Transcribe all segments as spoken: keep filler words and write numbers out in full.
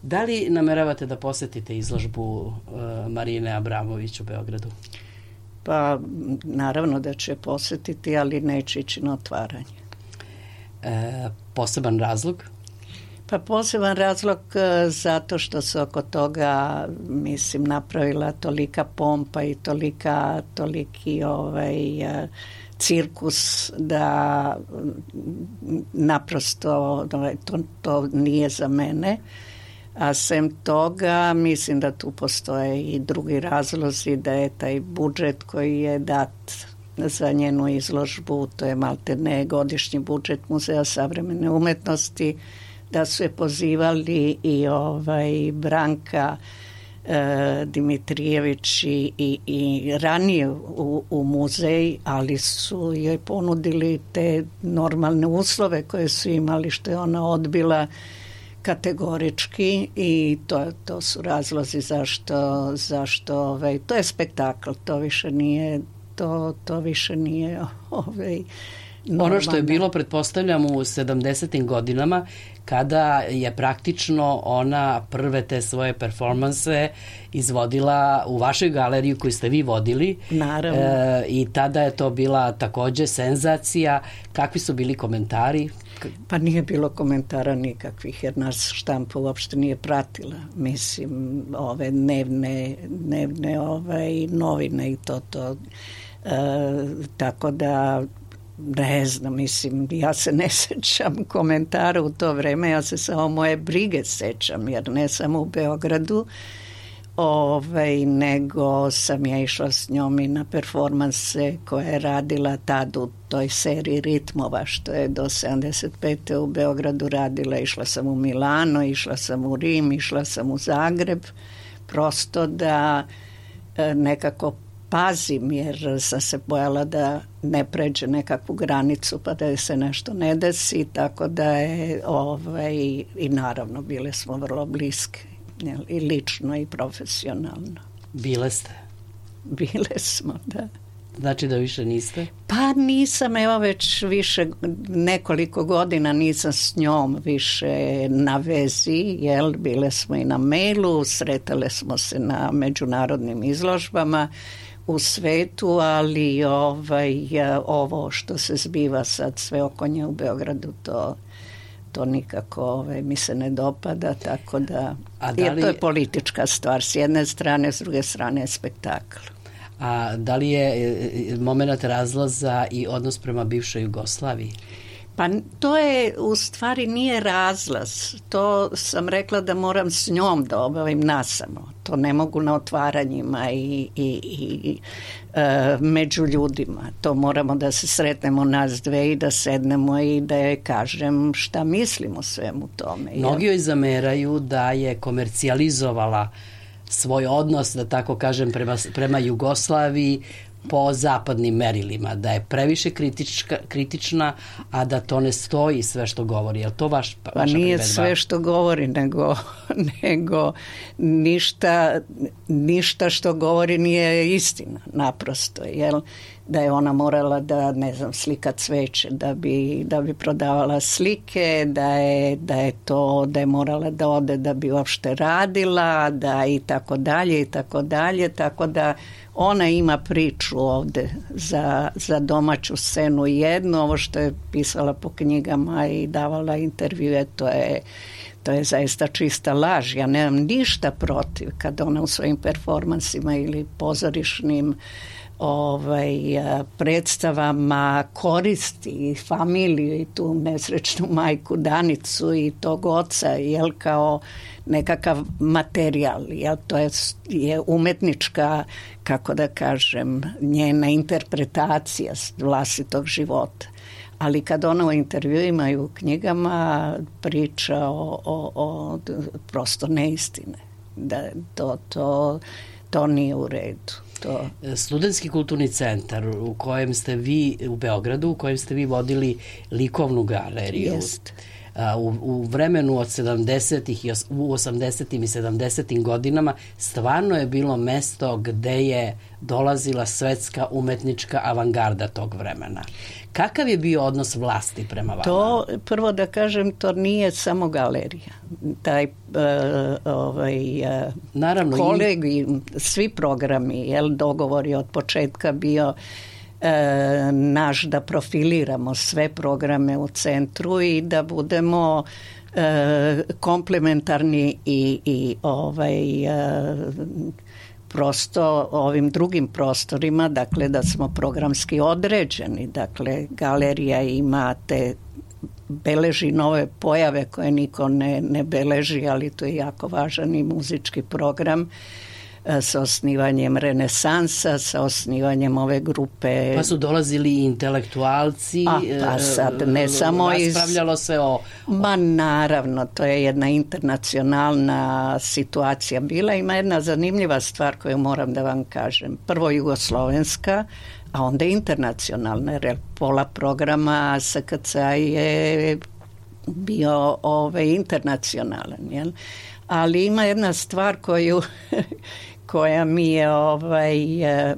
Da li nameravate da posetite izložbu uh, Marine Abramović u Beogradu? Pa naravno da će posetiti, ali neće ići na otvaranje. E, poseban razlog? Pa poseban razlog e, zato što se oko toga, mislim, napravila tolika pompa i tolika, toliki ovaj, e, cirkus da naprosto ovaj, to, to nije za mene. A sem toga, mislim da tu postoje i drugi razlozi, da je taj budžet koji je dat za njenu izložbu, to je maltene godišnji budžet Muzeja savremene umetnosti, da su je pozivali i ovaj Branka e, Dimitrijević i, i, i ranije u, u muzej, ali su joj ponudili te normalne uslove koje su imali, što je ona odbila kategorički, i to, to su razlozi zašto, zašto ovaj, to je spektakl, to više nije to, to više nije ovaj, normalno. Ono što je bilo, pretpostavljam, u sedamdesetim godinama, kada je praktično ona prve te svoje performanse izvodila u vašoj galeriji koju ste vi vodili. Naravno. E, I tada je to bila takođe senzacija. Kakvi su bili komentari? Pa nije bilo komentara nikakvih, jer nas štampa uopšte nije pratila. Mislim, ove dnevne, dnevne ovaj, novine i to to. E, tako da ne znam, mislim, ja se ne sećam komentara u to vreme, ja se samo moje brige sećam, jer ne samo u Beogradu, ovaj, nego sam ja išla s njom i na performanse koje je radila tad u toj seriji ritmova, što je do sedamdeset pete u Beogradu radila. Išla sam u Milano, išla sam u Rim, išla sam u Zagreb, prosto da nekako pazim, jer sam se bojala da ne pređe nekakvu granicu pa da je se nešto ne desi, tako da je ovaj, i naravno bile smo vrlo bliske, jel, i lično i profesionalno. Bile ste? Bile smo, da. Znači da više niste? Pa nisam, evo već više nekoliko godina nisam s njom više na vezi, jel, bile smo i na mailu, sretale smo se na međunarodnim izložbama u svetu, ali ovaj, ovo što se zbiva sad sve oko nje u Beogradu, to, to nikako ovaj, mi se ne dopada, tako da, A da li... jer to je politička stvar, s jedne strane, s druge strane je spektakl. A da li je moment razlaza i odnos prema bivšoj Jugoslaviji? Pa to je, u stvari nije razlaz. To sam rekla da moram s njom da obavim nasamo. To ne mogu na otvaranjima i, i, i e, među ljudima. To moramo da se sretnemo nas dve i da sednemo i da je kažem šta mislim o svemu tome. Mnogi joj zameraju da je komercijalizovala svoj odnos, da tako kažem, prema, prema Jugoslaviji po zapadnim merilima, da je previše kritička, kritična, a da to ne stoji sve što govori. Je li to vaš, vaša pa nije primedba? Sve što govori, nego, nego ništa, ništa što govori nije istina, naprosto, jel? Da je ona morala da, ne znam, slika cveće, da bi, da bi prodavala slike, da je, da je to, da je morala da ode da bi uopšte radila, da i tako dalje, i tako dalje, tako da ona ima priču ovde za, za domaću scenu jednu, ovo što je pisala po knjigama i davala intervjue, to je, to je zaista čista laž. Ja nemam ništa protiv kad ona u svojim performansima ili pozorišnim ovaj, predstavama koristi familiju i tu nesrećnu majku Danicu i tog oca, jel, kao nekakav materijal, jel, to je, je umetnička, kako da kažem, njena interpretacija vlastitog života. Ali kad ona u intervjuima i u knjigama priča o, o, o prosto neistine, da to, to, to nije u redu. To. Studentski kulturni centar u kojem ste vi u Beogradu, u kojem ste vi vodili likovnu galeriju. Jest. u, u vremenu od sedamdesetih i u osamdesetim i sedamdesetim godinama stvarno je bilo mesto gde je dolazila svetska umetnička avangarda tog vremena. Kakav je bio odnos vlasti prema vama? To, prvo da kažem, to nije samo galerija. Taj uh, ovaj, uh, Naravno, kolegi, i... svi programi, jel, dogovor je od početka bio E, naš da profiliramo sve programe u centru i da budemo e, komplementarni i, i ovaj, e, prosto ovim drugim prostorima, dakle da smo programski određeni, dakle galerija ima te beleži nove pojave koje niko ne, ne beleži, ali to je jako važan i muzički program sa osnivanjem Renesansa, sa osnivanjem ove grupe. Pa su dolazili i intelektualci, A, pa sad, ne samo iz... raspravljalo se o... Ma naravno, to je jedna internacionalna situacija bila. Ima jedna zanimljiva stvar koju moram da vam kažem. Prvo jugoslovenska, a onda internacionalna, jer pola programa S K C-a je bio ove, internacionalan, jel? Ali ima jedna stvar koju koja mi je ovaj e,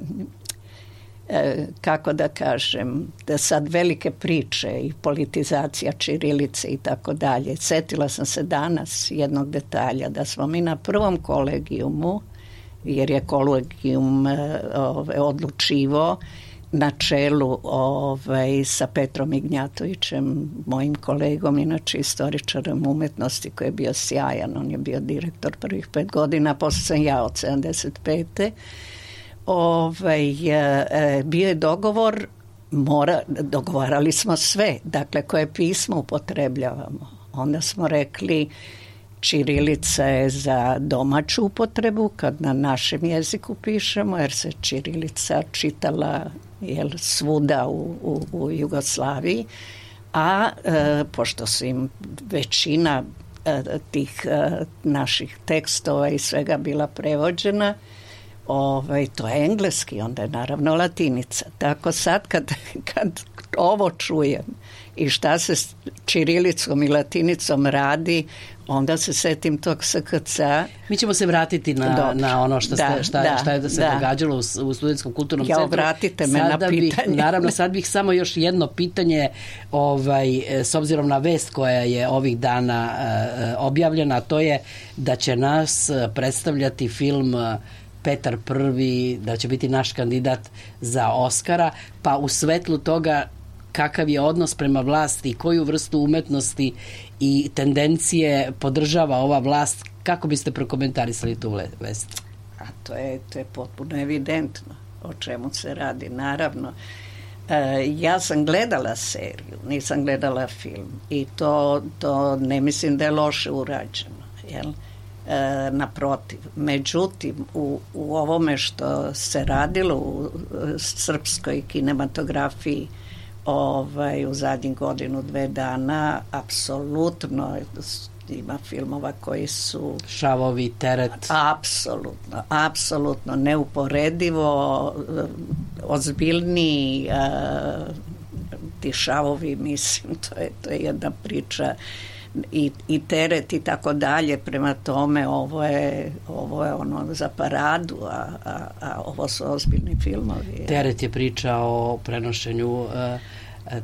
e, kako da kažem, da sad velike priče i politizacija ćirilice i tako dalje. Setila sam se danas jednog detalja, da smo mi na prvom kolegijumu, jer je kolegijum e, ovaj, odlučivo na čelu ovaj, sa Petrom Ignjatovićem, mojim kolegom, inače istoričarem umetnosti, koji je bio sjajan. On je bio direktor prvih pet godina, posle sam ja od sedamdeset pete Ovaj, e, bio je dogovor, mora, dogovarali smo sve, dakle koje pismo upotrebljavamo. Onda smo rekli ćirilica je za domaću upotrebu, kad na našem jeziku pišemo, jer se ćirilica čitala jel, svuda u, u, u Jugoslaviji, a e, pošto su im većina e, tih e, naših tekstova i svega bila prevođena, ovaj, to je engleski, onda je naravno latinica. Tako sad kad, kad ovo čujem i šta se s ćirilicom i latinicom radi, onda se setim tog S K C-a. Mi ćemo se vratiti na, na ono što, da, ste, šta, da, šta je da se da. događalo u, u Studentskom kulturnom ja, centru. Vratite me Sada na pitanje. Bih, naravno, sad bih samo još jedno pitanje, ovaj, s obzirom na vest koja je ovih dana uh, objavljena, to je da će nas predstavljati film Petar Prvi, da će biti naš kandidat za Oskara, pa u svetlu toga kakav je odnos prema vlasti, koju vrstu umetnosti i tendencije podržava ova vlast, kako biste prokomentarisali tu vest? A to je, to je potpuno evidentno o čemu se radi, naravno. E, ja sam gledala seriju, nisam gledala film i to, to ne mislim da je loše urađeno, jel? E, naprotiv. Međutim, u, u ovome što se radilo u srpskoj kinematografiji ovaj, u zadnjih godinu, dve dana, apsolutno ima filmova koji su Šavovi, Teret. Apsolutno, apsolutno neuporedivo ozbiljniji ti Šavovi, mislim, to je, to je jedna priča i, i Teret i tako dalje, prema tome ovo je, ovo je ono za paradu, a, a, a ovo su ozbiljni filmovi. Teret je priča o prenošenju uh,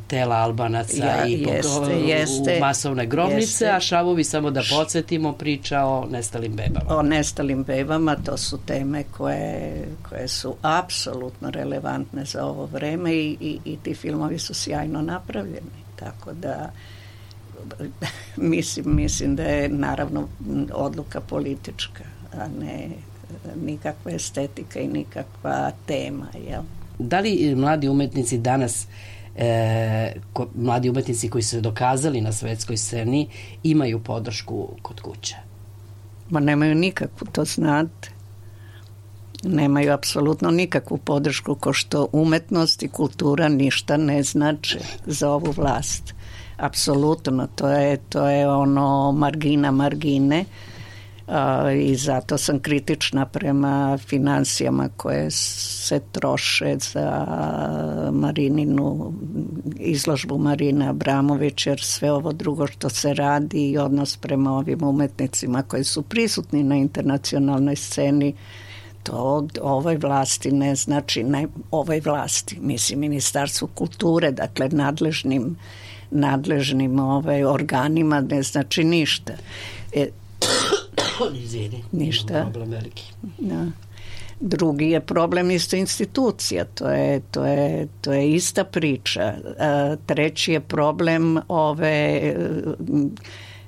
tela Albanaca ja, i jeste, jeste, u masovne grobnice, jeste. A Šavovi, samo da podsjetimo, priča o nestalim bebama. O nestalim bebama, to su teme koje, koje su apsolutno relevantne za ovo vreme i, i, i ti filmovi su sjajno napravljeni, tako da mislim, mislim da je naravno odluka politička, a ne nikakva estetika i nikakva tema, jel? Da li mladi umetnici danas E, ko, mladi umetnici koji su se dokazali na svetskoj sceni imaju podršku kod kuće? Ma nemaju nikakvu, to znate. Nemaju apsolutno nikakvu podršku, ko što umetnost i kultura ništa ne znače za ovu vlast. Apsolutno, to je, to je ono margina margine. a, i zato sam kritična prema financijama koje se troše za Marininu izložbu Marine Abramović, jer sve ovo drugo što se radi i odnos prema ovim umetnicima koji su prisutni na internacionalnoj sceni, to ovoj vlasti ne znači, ne ovoj vlasti, mislim Ministarstvu kulture, dakle nadležnim nadležnim ovaj, organima ne znači ništa. E, Izvini, ništa. Problem veliki. Da. Drugi je problem isto institucija, to je, to je, to je ista priča. A, treći je problem ove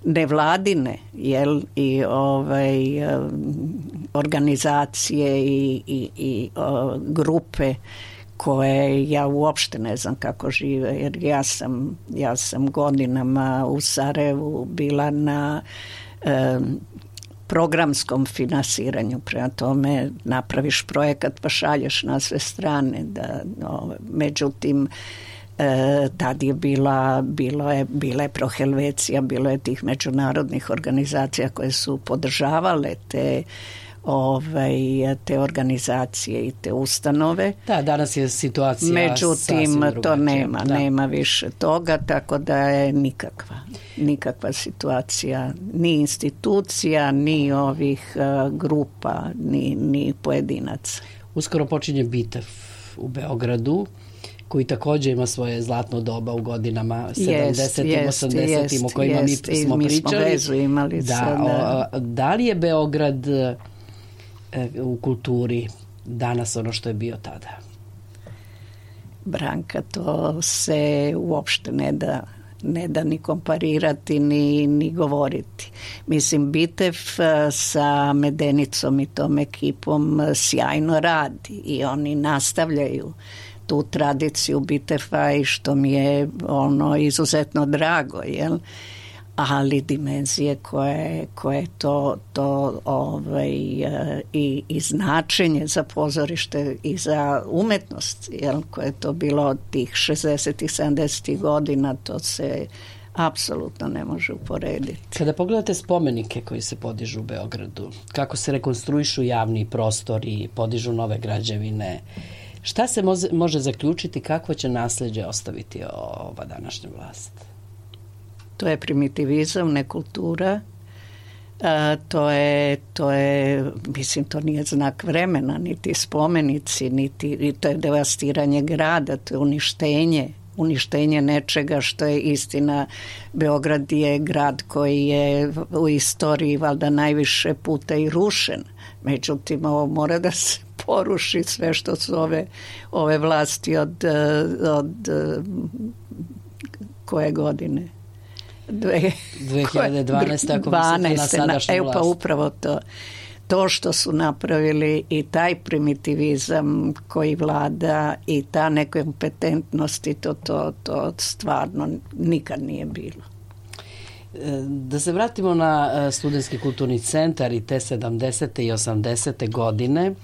nevladine, jel, i ovaj organizacije i, i, i o, grupe koje ja uopšte ne znam kako žive, jer ja sam, ja sam godinama u Sarajevu bila na e, programskom finansiranju, prema tome napraviš projekat pa šalješ na sve strane, da, no, međutim e, tad je bila, bilo je, bila je Prohelvecija, bilo je tih međunarodnih organizacija koje su podržavale te Ovaj, te organizacije i te ustanove. Da, danas je situacija međutim to nema, da. nema više toga, tako da je nikakva nikakva situacija, ni institucija, ni ovih uh, grupa, ni, ni pojedinaca. Uskoro počinje Bitev u Beogradu, koji također ima svoje zlatno doba u godinama sedamdesetim, osamdesetim o kojima jest, mi smo mi pričali. Smo vezu imali da, sada. O, da li je Beograd u kulturi danas ono što je bio tada? Branka, to se uopšte ne da ne da ni komparirati ni, ni govoriti. Mislim, Bitev sa Medenicom i tom ekipom sjajno radi i oni nastavljaju tu tradiciju Biteva i što mi je ono izuzetno drago, jel? Ali dimenzije koje, koje to, to ovaj, i, i značenje za pozorište i za umetnost, jel, koje je to bilo od tih šezdesetih, sedamdesetih godina, to se apsolutno ne može uporediti. Kada pogledate spomenike koji se podižu u Beogradu, kako se rekonstruišu javni prostori, podižu nove građevine, šta se može, može zaključiti, kakvo će nasleđe ostaviti ova današnja vlast? To je primitivizam, ne kultura. A, to je, to je, mislim, to nije znak vremena, niti spomenici, niti, to je devastiranje grada, to je uništenje, uništenje nečega što je istina. Beograd je grad koji je u istoriji valjda najviše puta i rušen. Međutim, ovo mora da se poruši sve što su ove, ove vlasti od, od koje godine? dve hiljade dvanaeste ako mislite na sadašnju evo vlast. Pa upravo to. To što su napravili i taj primitivizam koji vlada i ta nekompetentnost i to, to, to stvarno nikad nije bilo. Da se vratimo na Studentski kulturni centar i te sedamdesete i osamdesete godine,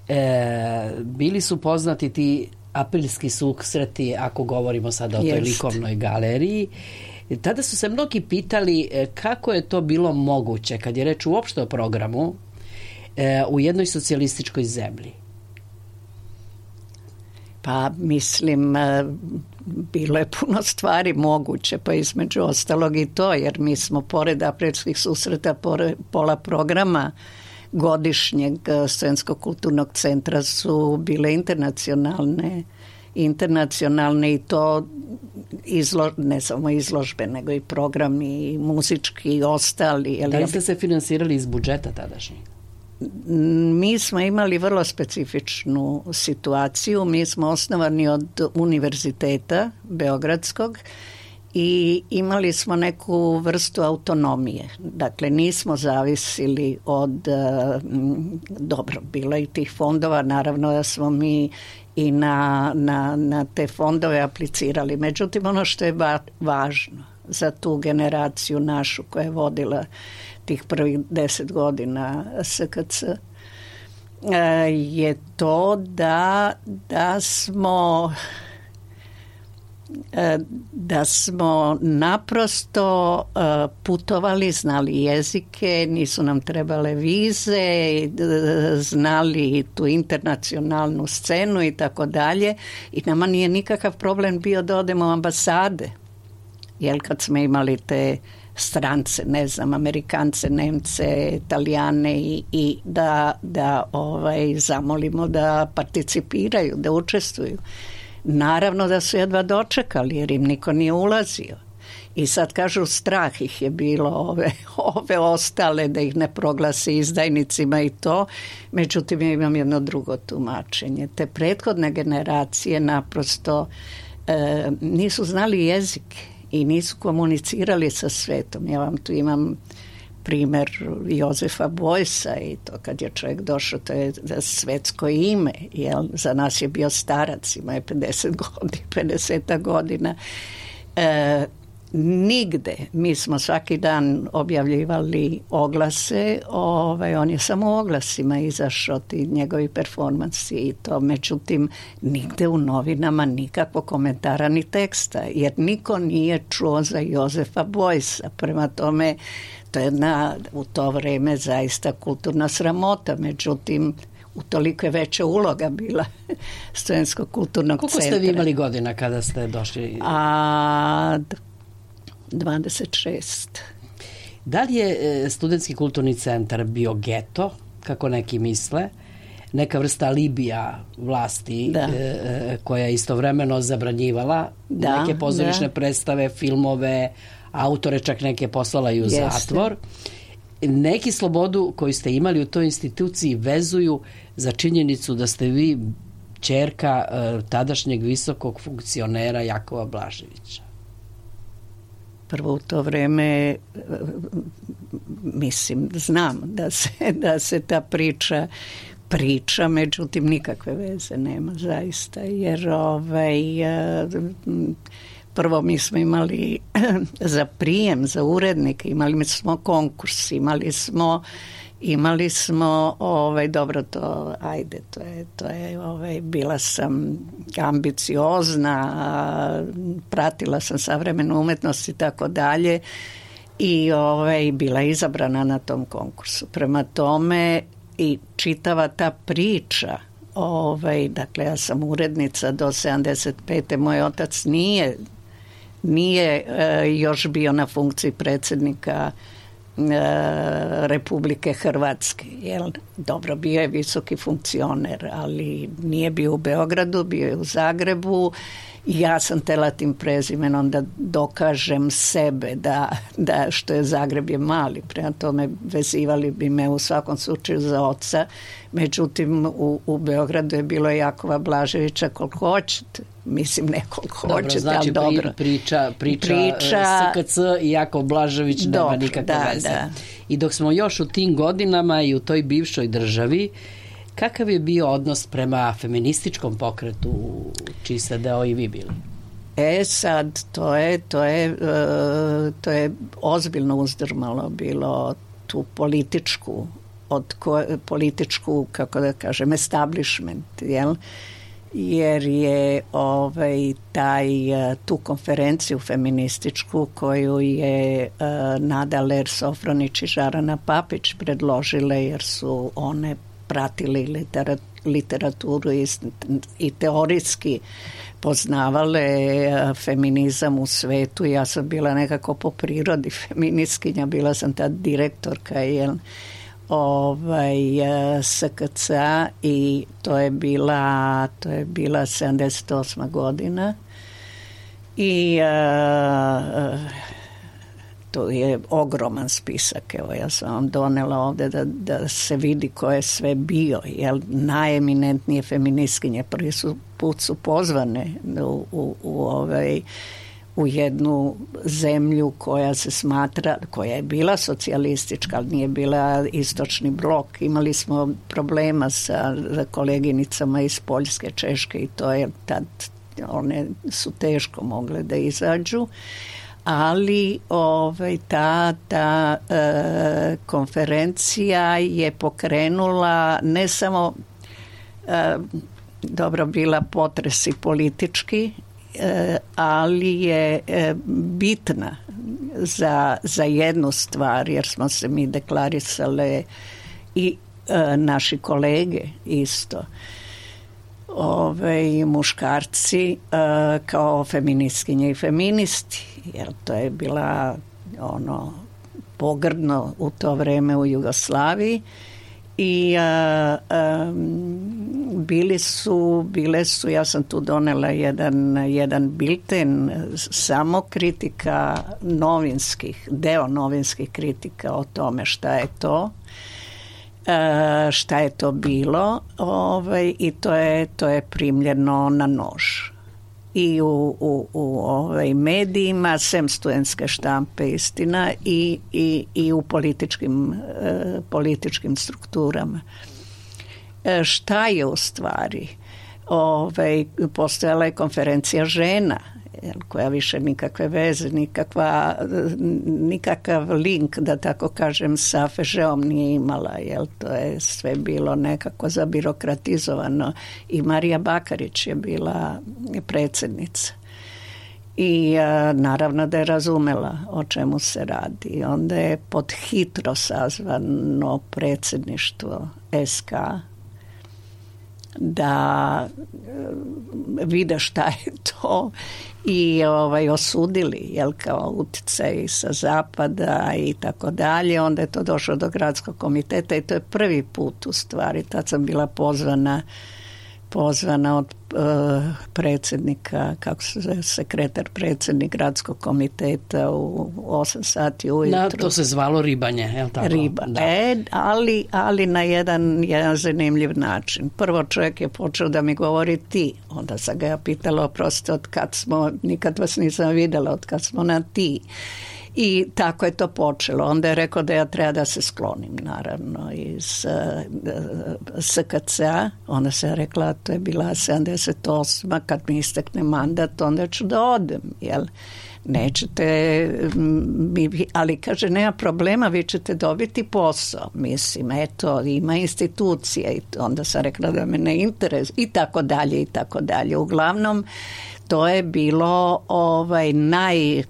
e, bili su poznati ti aprilski susreti, ako govorimo sada o toj likovnoj galeriji. Tada su se mnogi pitali kako je to bilo moguće, kad je reč uopšte o programu, u jednoj socijalističkoj zemlji. Pa mislim, bilo je puno stvari moguće, pa između ostalog i to, jer mi smo pored aprilskih susreta, pored pola programa godišnjeg Studentskog kulturnog centra su bile internacionalne internacionalne i to izlo, ne samo izložbe, nego i programi i muzički i ostali. Da li ste se finansirali iz budžeta tadašnjeg? Mi smo imali vrlo specifičnu situaciju. Mi smo osnovani od univerziteta Beogradskog i imali smo neku vrstu autonomije. Dakle, nismo zavisili od, dobro, bilo i tih fondova, naravno da smo mi i na, na, na te fondove aplicirali. Međutim, ono što je važno za tu generaciju našu koja je vodila tih prvih deset godina S K C je to da, da smo da smo naprosto putovali, znali jezike, nisu nam trebale vize, znali tu internacionalnu scenu i tako dalje, i nama nije nikakav problem bio da odemo u ambasade, jer kad smo imali te strance, ne znam, Amerikance, Nemce, Italijane i, i da, da ovaj, zamolimo da participiraju, da učestvuju. Naravno da su jedva dočekali jer im niko nije ulazio. I sad kažu strah ih je bilo ove, ove ostale da ih ne proglasi izdajnicima i to. Međutim, ja imam jedno drugo tumačenje. Te prethodne generacije naprosto e, nisu znali jezik i nisu komunicirali sa svetom. Ja vam tu imam primjer Jozefa Bojsa i to kad je čovjek došao, to je svetsko ime, jel? Za nas je bio starac, ima je pedeset godina, pedeset godina. E, nigde, mi smo svaki dan objavljivali oglase, ovaj, on je samo u oglasima izašao, ti njegovi performansi i to, međutim nigde u novinama nikakvog komentara ni teksta, jer niko nije čuo za Jozefa Bojsa. Prema tome, to je jedna u to vreme zaista kulturna sramota, međutim utoliko je veća uloga bila Studentskog kulturnog Koliko centra. Koliko ste vi imali godina kada ste došli? A, dvadeset šest. Da li je Studentski kulturni centar bio geto, kako neki misle, neka vrsta alibija vlasti e, koja je istovremeno zabranjivala da, neke pozorišne da. predstave, filmove, autore čak neke poslala i u Jeste. zatvor. Neki slobodu koju ste imali u toj instituciji vezuju za činjenicu da ste vi ćerka e, tadašnjeg visokog funkcionera Jakova Blaževića. Prvo u to vreme, mislim, znam da se, da se ta priča priča, međutim nikakve veze nema zaista, jer ovaj, prvo mi smo imali za prijem, za urednike, imali smo konkurs, imali smo imali smo ovaj, dobro to, ajde, to je, to je ovaj, bila sam ambiciozna, pratila sam savremenu umetnost i tako dalje i ovaj, bila izabrana na tom konkursu. Prema tome i čitava ta priča, ovaj, dakle ja sam urednica do sedamdeset pete. Moj otac nije nije e, još bio na funkciji predsjednika e, Republike Hrvatske. Jel? Dobro, bio je visoki funkcioner, ali nije bio u Beogradu, bio je u Zagrebu. Ja sam tela tim prezimenom da dokažem sebe da, da što je Zagreb je mali, prema tome vezivali bi me u svakom slučaju za oca, međutim u, u Beogradu je bilo Jakova Blaževića koliko hoćete, mislim ne koliko dobro, hoćete, znači, ali dobro. Priča, priča, priča S K C i Jakov Blažević dobro, nema nikakve da, veze. Da. I dok smo još u tim godinama i u toj bivšoj državi, kakav je bio odnos prema feminističkom pokretu čiji ste deo i vi bili? E sad, to je, to je, to je ozbiljno uzdrmalo bilo tu političku, od ko, političku, kako da kažem, establishment, jel? Jer je ovaj, taj, tu konferenciju feminističku koju je uh, Nada Ler Sofronić i Žarana Papić predložile, jer su one pratili literaturu i, i teorijski poznavale feminizam u svetu. Ja sam bila nekako po prirodi feministkinja, bila sam tad direktorka jel, ovaj, S K C-a i to je bila, to je bila sedamdeset osma godina i uh, to je ogroman spisak. Evo, ja sam vam donela ovdje da, da se vidi ko je sve bio. Jel, najeminentnije feministkinje prvi su put su pozvane u, u, u, ovaj, u jednu zemlju koja se smatra, koja je bila socijalistička, ali nije bila istočni blok. Imali smo problema sa koleginicama iz Poljske, Češke i to je tad, one su teško mogle da izađu. Ali ovaj, ta, ta e, konferencija je pokrenula ne samo e, dobro bila potresi politički ali je bitna za, za jednu stvar, jer smo se mi deklarisale i naši kolege isto, ove muškarci kao feministkinje i feministi, jer to je bila ono pogrdno u to vreme u Jugoslaviji i a, a, bili su, bile su, ja sam tu donela jedan, jedan bilten samo kritika novinskih, deo novinskih kritika o tome šta je to, a, šta je to bilo, ovaj, i to je, to je primljeno na nož. I u, u, u ovaj medijima, sem studentske štampe, istina, i, i, i u političkim, e, političkim strukturama. E, šta je u stvari? Ovaj, postojala je konferencija žena, koja više nikakve veze, nikakva, nikakav link, da tako kažem, sa Fežeom nije imala, jel, to je sve bilo nekako zabirokratizovano i Marija Bakarić je bila predsjednica i a, naravno da je razumela o čemu se radi. Onda je pod hitro sazvano predsjedništvo S K da vide šta je to i ovaj osudili, jel, kao utjecaj sa zapada i tako dalje. Onda je to došlo do gradskog komiteta i to je prvi put u stvari. Tad sam bila pozvana pozvana od uh, predsjednika, kako se zove, sekretar predsjednik gradskog komiteta u osam sati ujutro. Na, to se zvalo ribanje, je li tako? Riba, da. E, ali, ali na jedan, jedan zanimljiv način. Prvo čovjek je počeo da mi govori ti, onda sam ga ja pitala, oprostite, od kad smo, nikad vas nisam vidjela, od kad smo na ti. I tako je to počelo. Onda je rekao da ja treba da se sklonim, naravno, iz uh, S K C-a. Onda se je rekla, to je bila sedamdeset osma, kad mi istekne mandat, onda ću da odem, jel? Nećete, mi, ali kaže, nema problema, vi ćete dobiti posao. Mislim, eto, ima institucija i onda sam rekla da me ne interes i tako dalje i tako dalje. Uglavnom, to je bilo ovaj naj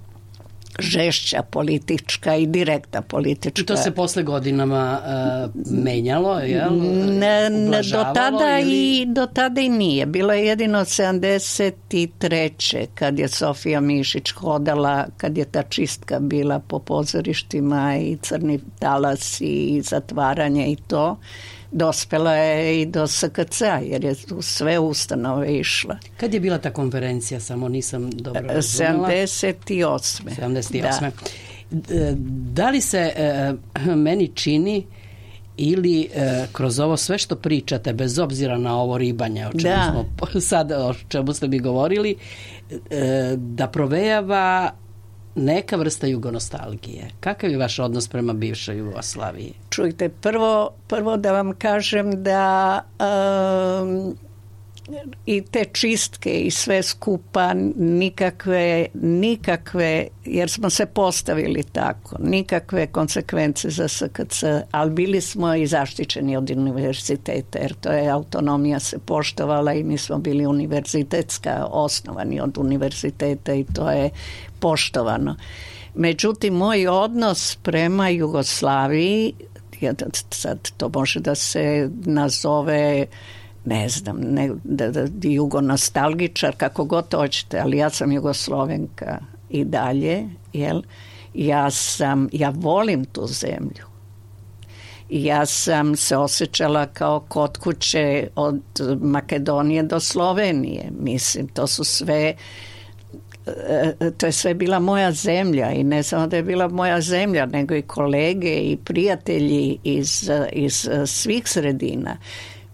žešća politička i direktna politička. I to se posle godinama uh, menjalo, jel? Ne, ne, do tada ili... i do tada i nije. Bilo je jedino sedamdeset treće kad je Sofija Mišić hodala, kad je ta čistka bila po pozorištima i crni talas i zatvaranje i to. Dospela je i do S K C-a jer je u sve ustanove išla. Kad je bila ta konferencija, samo nisam dobro razumela? sedamdeset osme. sedamdeset osme. Da. Da li se e, meni čini ili e, kroz ovo sve što pričate, bez obzira na ovo ribanje, o čemu da. smo sad, o čemu ste mi govorili, e, da provejava neka vrsta jugonostalgije. Kakav je vaš odnos prema bivšoj Jugoslaviji? Čujte, prvo, prvo da vam kažem da um, i te čistke i sve skupa nikakve, nikakve, jer smo se postavili tako, nikakve konsekvence za S K C, ali bili smo i zaštićeni od univerziteta, jer to je autonomija se poštovala i mi smo bili univerzitetska, osnovani od univerziteta i to je poštovano. Međutim, moj odnos prema Jugoslaviji, sad to može da se nazove, ne znam, ne, da, da, jugonostalgičar, kako god hoćete, ali ja sam Jugoslovenka i dalje, jel? Ja sam, ja volim tu zemlju. Ja sam se osjećala kao kod kuće od Makedonije do Slovenije. Mislim, to su sve, to je sve bila moja zemlja i ne samo da je bila moja zemlja, nego i kolege i prijatelji iz, iz svih sredina.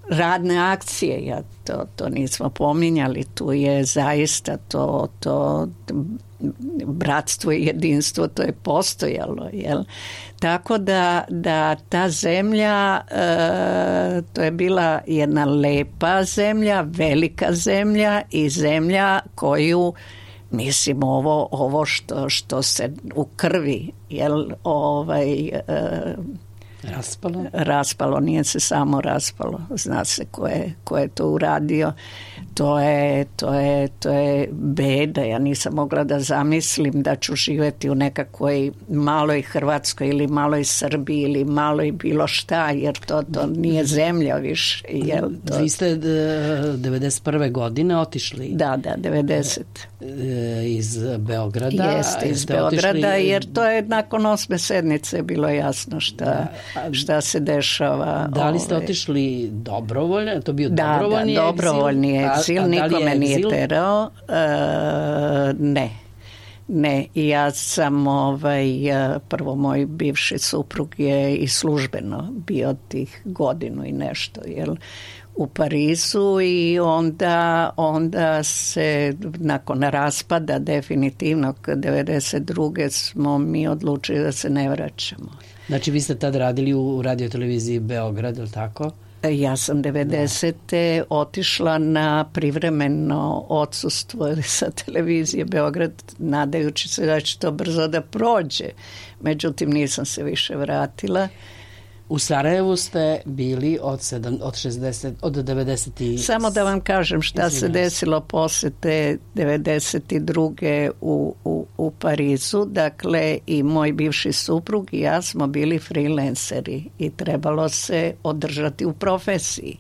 Radne akcije, ja to, to nismo pominjali, tu je zaista to, to bratstvo i jedinstvo, to je postojalo, jel? Tako da, da ta zemlja, e, to je bila jedna lepa zemlja, velika zemlja i zemlja koju, mislim, ovo, ovo što, što se u krvi, jel, ovaj... E, raspalo? Raspalo, nije se samo raspalo. Zna se ko je, ko je to uradio. To je, to je, to je beda. Ja nisam mogla da zamislim da ću živjeti u nekakvoj maloj Hrvatskoj ili maloj Srbiji ili maloj bilo šta, jer to, to nije zemlja više. Jel, to... Vi ste devedeset prve godine otišli? Da, da, devedeset. Iz Beograda? Jeste, iz Beograda, otišli... jer to je nakon osme sednice bilo jasno šta, šta se dešava. Da li ste otišli dobrovoljno? To bio da, dobrovoljni da, dobrovoljni egzil. Egzil, a, a nikome je nije terao. E, ne. Ne, ja sam ovaj, prvo moj bivši suprug je i službeno bio tih godinu i nešto, jel, u Parizu i onda, onda se nakon raspada definitivnog devedeset druge smo mi odlučili da se ne vraćamo. Znači vi ste tad radili u radioteleviziji Beograd, ili tako? Ja sam devedesete Da. otišla na privremeno odsustvo sa televizije Beograd, nadajući se da će to brzo da prođe. Međutim, nisam se više vratila. U Sarajevu ste bili od, sedam, od, šezdeset, od devedeset Samo da vam kažem šta se desilo posle te devedeset druge u, u, u Parizu. Dakle, i moj bivši suprug i ja smo bili freelanceri i trebalo se održati u profesiji.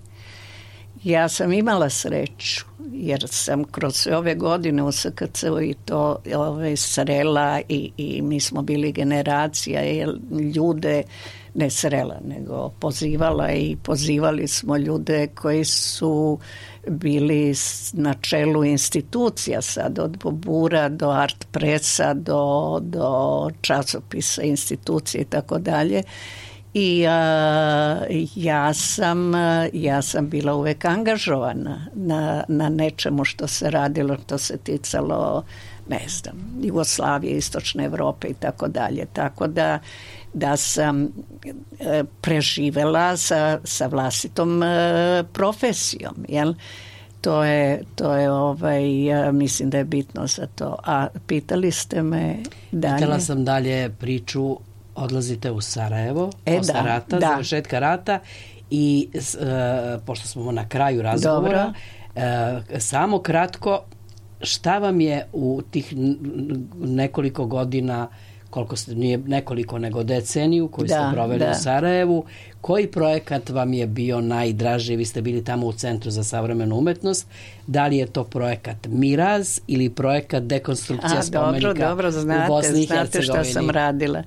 Ja sam imala sreću, jer sam kroz sve ove godine u S K C-u i to ove, srela i, i mi smo bili generacija ljude, ne srela, nego pozivala i pozivali smo ljude koji su bili na čelu institucija sad, od Bobura do Art Pressa, do, do časopisa, institucije i tako dalje. I a, ja sam ja sam bila uvek angažovana na, na nečemu što se radilo, što se ticalo, ne znam, Jugoslavije, Istočne Evrope i tako dalje. Tako da da sam e, preživela sa, sa vlastitom e, profesijom, jel? To je, to je ovaj, ja mislim da je bitno za to. A pitali ste me dalje? Pitala sam dalje priču, odlazite u Sarajevo, e, posle da, rata, da. završetka rata i e, pošto smo na kraju razgovora, e, samo kratko, šta vam je u tih nekoliko godina, koliko ste, nije nekoliko nego deceniju koju da, ste proveli da. u Sarajevu, koji projekat vam je bio najdraži? Vi ste bili tamo u Centru za savremenu umetnost. Da li je to projekat Miraz ili projekat Dekonstrukcija A, spomenika dobro, dobro, znate, u Bosni i znate Hercegovini? Šta sam radila.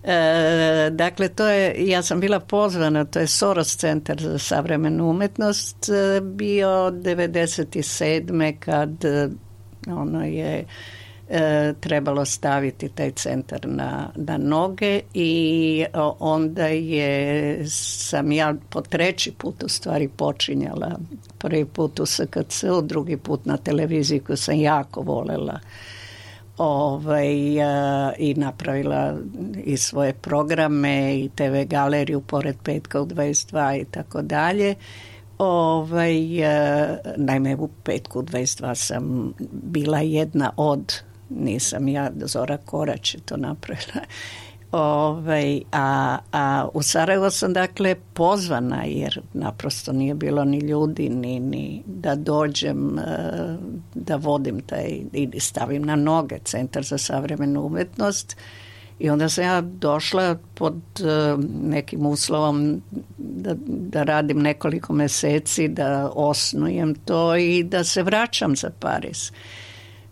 E, dakle, to je, ja sam bila pozvana, to je Soros Centar za savremenu umetnost, bio devedeset sedme kad ono je e, trebalo staviti taj centar na, na noge i onda je sam ja po treći put u stvari počinjala. Prvi put u S K C-u, drugi put na televiziji koju sam jako volela. Ovaj, a, i napravila i svoje programe i te ve galeriju pored Petka u dvadeset dva i tako dalje. Ovaj, a, naime u Petku u dvadeset dva sam bila jedna od, nisam ja, Zora Korać je to napravila. Ovaj, a, a u Sarajevo sam dakle pozvana jer naprosto nije bilo ni ljudi ni, ni da dođem da vodim taj i stavim na noge Centar za savremenu umetnost i onda sam ja došla pod nekim uslovom da, da radim nekoliko meseci, da osnujem to i da se vraćam za Pariz.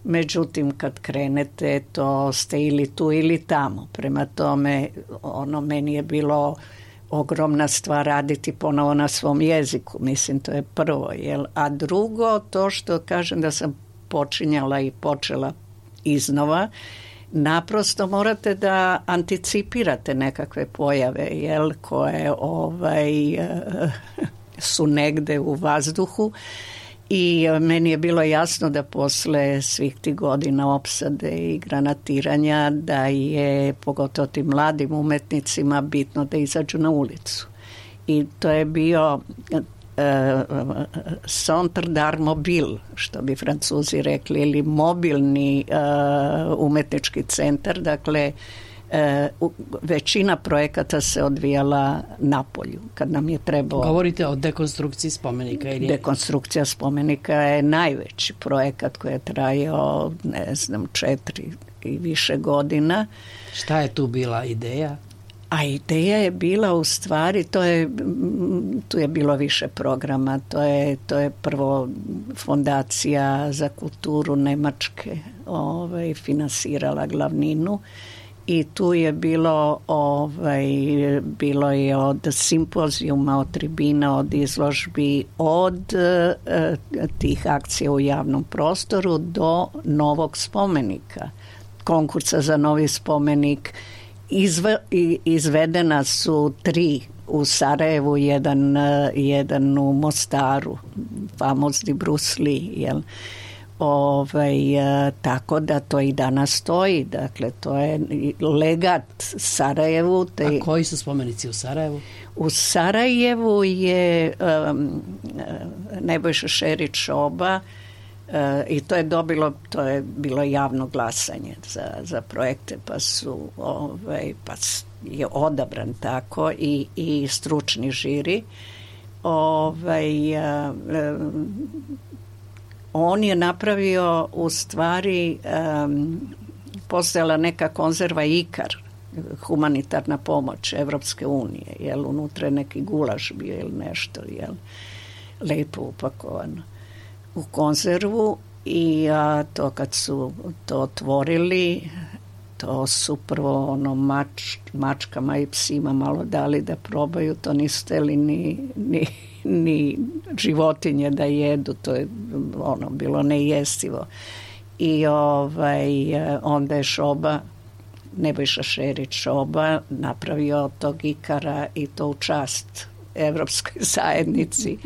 Međutim, kad krenete, to ste ili tu ili tamo. Prema tome, ono, meni je bilo ogromna stvar raditi ponovo na svom jeziku. Mislim, to je prvo. Jel? A drugo, to što kažem da sam počinjala i počela iznova, naprosto morate da anticipirate nekakve pojave, jel, koje ovaj, su negde u vazduhu. I meni je bilo jasno da posle svih tih godina opsade i granatiranja da je pogotovo tim mladim umetnicima bitno da izađu na ulicu. I to je bio uh, centre d'art mobile, što bi Francuzi rekli, ili mobilni uh, umetnički centar. Dakle, E, u, većina projekata se odvijala na polju, kad nam je trebalo... Govorite o dekonstrukciji spomenika ili... Dekonstrukcija spomenika je najveći projekat koji je trajao, ne znam, četiri i više godina. Šta je tu bila ideja? A ideja je bila u stvari, to je, tu je bilo više programa, to je, to je prvo fondacija za kulturu Nemačke ovaj, finansirala glavninu i tu je bilo, ovaj, bilo je od simpozijuma, od tribina, od izložbi, od e, tih akcija u javnom prostoru do novog spomenika, konkursa za novi spomenik. Izve, izvedena su tri u Sarajevu, jedan, jedan u Mostaru, famozni Bruce Lee, jel? Ovaj, tako da to i danas stoji, dakle to je legat Sarajevu. Te, a koji su spomenici u Sarajevu? U Sarajevu je um, Nebojša Šerić Šoba, E, i to je dobilo, to je bilo javno glasanje za, za projekte, pa su ovaj, pa je odabran tako i, i stručni žiri. Ovaj, a, a, on je napravio u stvari a, postojala neka konzerva Ikar, humanitarna pomoć Evropske unije, jel, unutra je neki gulaš bio ili nešto, jel, lepo upakovano u konzervu i a, to kad su to otvorili, to su prvo ono mač, mačkama i psima malo dali da probaju, to nisu hteli ni, ni, ni životinje da jedu, to je ono bilo nejestivo. I ovaj, onda je Šoba, Nebojša Šerić Šoba, napravio od tog Ikara i to u čast Evropskoj zajednici,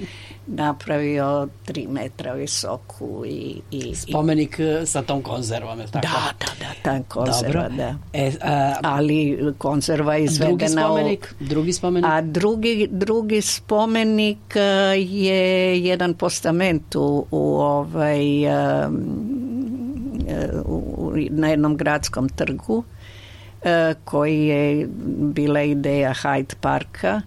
napravio tri metra visoku i, i spomenik i, sa tom konzervom, je tako? Da, da, da, ta konzerva, dobro. Da. E, a, ali konzerva izvedena... Drugi spomenik? U, drugi spomenik? A drugi, drugi spomenik je jedan postament u, u ovaj, um, u, na jednom gradskom trgu, koji je bila ideja Hyde Parka,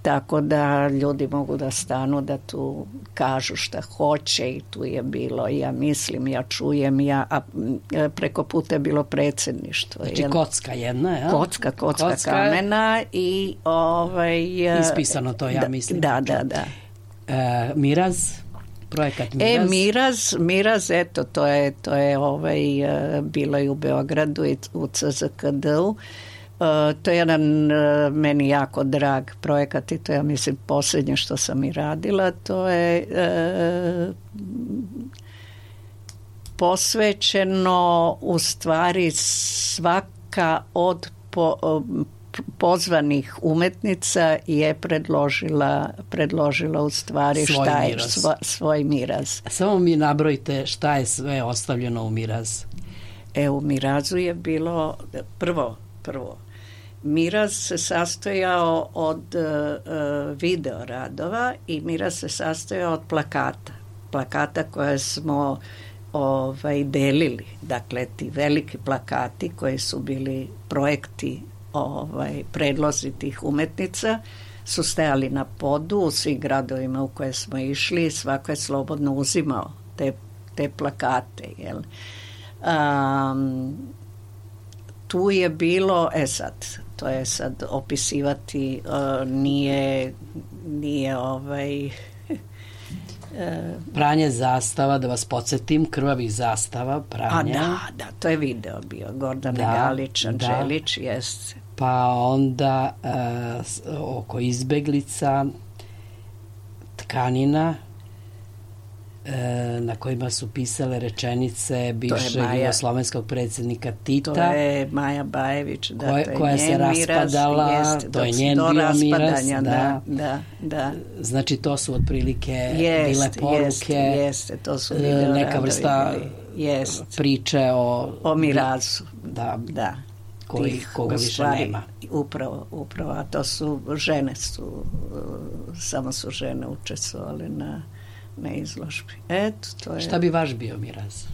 tako da ljudi mogu da stanu, da tu kažu šta hoće i tu je bilo, ja mislim, ja čujem, ja, a preko puta je bilo predsjedništvo. Znači jel? Kocka jedna, jel? Kocka, kocka, kocka kamena i ovaj... Ispisano to, ja da, mislim. Da, da, da. E, Miraz, projekat Miraz. E, Miraz, Miraz, eto, to je, to je ovaj, bilo i u Beogradu i u C Z K D-u. Uh, to je jedan uh, meni jako drag projekat i to ja mislim posljednje što sam i radila, to je uh, posvećeno u stvari svaka od po, uh, pozvanih umetnica je predložila, predložila u stvari svoj šta je miraz. Svo, svoj miraz. Samo mi nabrojite šta je sve ostavljeno u Miraz. E, u Mirazu je bilo prvo, prvo Miraz se sastojao od uh, video radova i Miraz se sastojao od plakata. Plakata koje smo ovaj, delili. Dakle, ti veliki plakati koji su bili projekti, ovaj, predlozi tih umetnica su stajali na podu u svim gradovima u koje smo išli. Svako je slobodno uzimao te, te plakate. Jel? Um, tu je bilo, e sad, to je sad opisivati, uh, nije, nije ovaj... uh, pranje zastava, da vas podsjetim, krvavih zastava, pranje. A da, da, to je video bio, Gordana da, Galić, Anđelić, da. Jest. Pa onda uh, oko izbeglica, tkanina, na kojima su pisale rečenice bivšeg jugoslovenskog predsjednika Tita. To je Maja Bajević, da, koja, to je koja njen se raspadala, miraz, to je njen bio miraz. Da. Da, da, da. Znači to su otprilike jest, bile poruke, jeste, jeste, to su video neka vrsta jest. priče o, o mirazu. Da, da. koji, Tih, koga više stvari, nema. Upravo, upravo, a to su žene, su, samo su žene učestvovale na na izložbi. Eto, to je... Šta bi vaš bio miraz?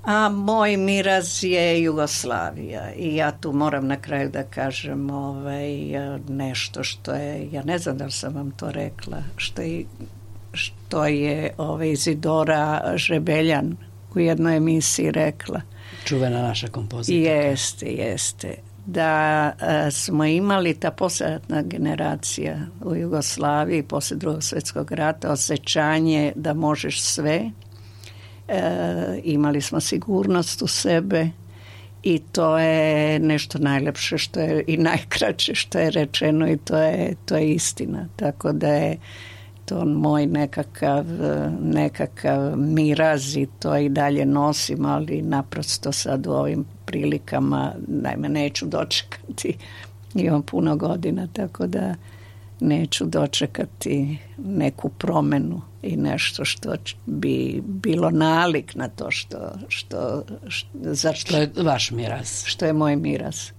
A moj miraz je Jugoslavija i ja tu moram na kraju da kažem ovaj, nešto što je, ja ne znam da li sam vam to rekla, što je, što je ovaj, Izidora Žebeljan u jednoj emisiji rekla. Čuvena naša kompozitorka. Jeste, jeste. Da a, smo imali ta poslijeratna generacija u Jugoslaviji posle drugog svjetskog rata osjećanje da možeš sve. E, imali smo sigurnost u sebe i to je nešto najlepše što je i najkraće što je rečeno i to je, to je istina. Tako da je to moj nekakav, nekakav miraz i to i dalje nosim, ali naprosto sad u ovim prilikama najme neću dočekati. Imam puno godina, tako da neću dočekati neku promenu i nešto što bi bilo nalik na to što, što, što, za što, što je vaš miraz. Što je moj miraz.